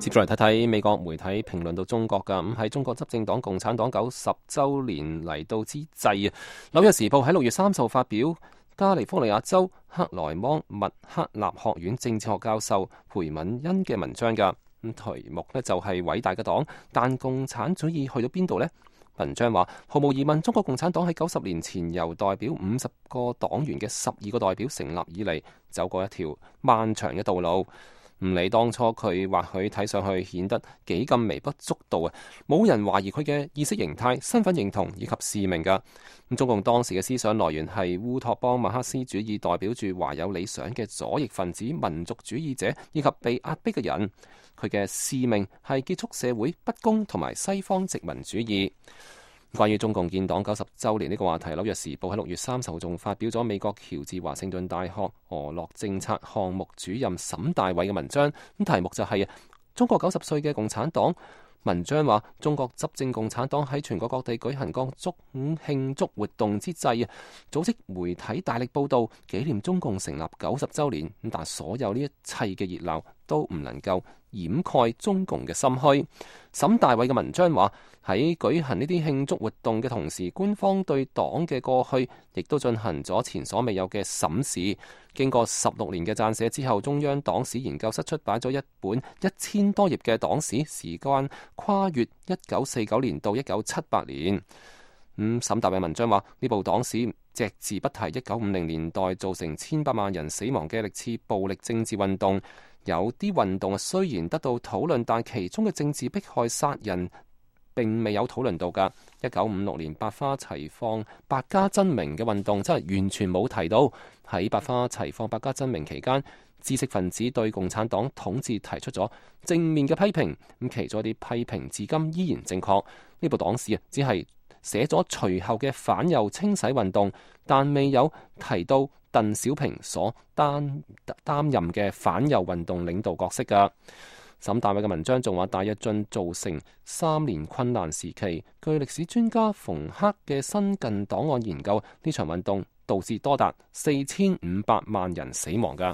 接住嚟睇睇美國媒體評論到中國㗎。咁喺中國執政黨共產黨90週年嚟到之際啊，紐約時報喺6月30號發表加利福尼亞州克萊芒密克納學院政治學教授裴敏恩嘅文章㗎。咁題目呢就係偉大嘅黨，但共產主義去到邊度呢？文章話，毫無疑問，中國共產黨喺90年前由代表50個黨員嘅12個代表成立以嚟，走過一條漫長嘅道路。唔理當初佢或許睇上去顯得幾咁微不足道啊，冇人懷疑佢嘅意識形態、身份認同以及使命㗎。咁中共當時嘅思想來源係烏托邦馬克思主義，代表住懷有理想嘅左翼分子、民族主義者以及被壓迫嘅人。佢嘅使命係結束社會不公同埋西方殖民主義。關於中共建黨90週年呢個話題，紐約時報喺6月30號仲發表咗美國喬治華盛頓大學俄洛政策項目主任沈大偉嘅文章，咁題目就係中國90歲嘅共產黨。文章話，中國執政共產黨喺全國各地舉行各種慶祝活動之際，組織媒體大力報導紀念中共成立90週年，但所有呢一切嘅熱鬧都唔能夠掩蓋中共嘅心虛。沈大偉嘅文章話，喺舉行呢啲慶祝活動嘅同時，官方對黨嘅過去亦都進行咗前所未有嘅審視。經過16年嘅撰寫之後，中央黨史研究室出版咗一本1000多頁嘅黨史，時間跨越1949年到1978年。沈大偉文章話，呢部黨史隻字不提1950年代造成千百萬人死亡嘅歷次暴力政治運動。有啲運動雖然得到討論，但其中嘅政治迫害殺人並未有討論到㗎。1956年百花齊放百家爭鳴嘅運動真係完全冇提到。喺百花齊放百家爭鳴期間，知識分子對共產黨統治提出咗正面嘅批評，咁其中一啲批評至今依然正確。呢部黨史只係寫咗隨後嘅反右清洗運動，但未有提到鄧小平所擔任嘅反右運動領導角色㗎。沈大偉嘅文章仲話，大躍進造成3年困難時期。據歷史專家馮克嘅新近檔案研究，呢場運動導致多達4500萬人死亡㗎。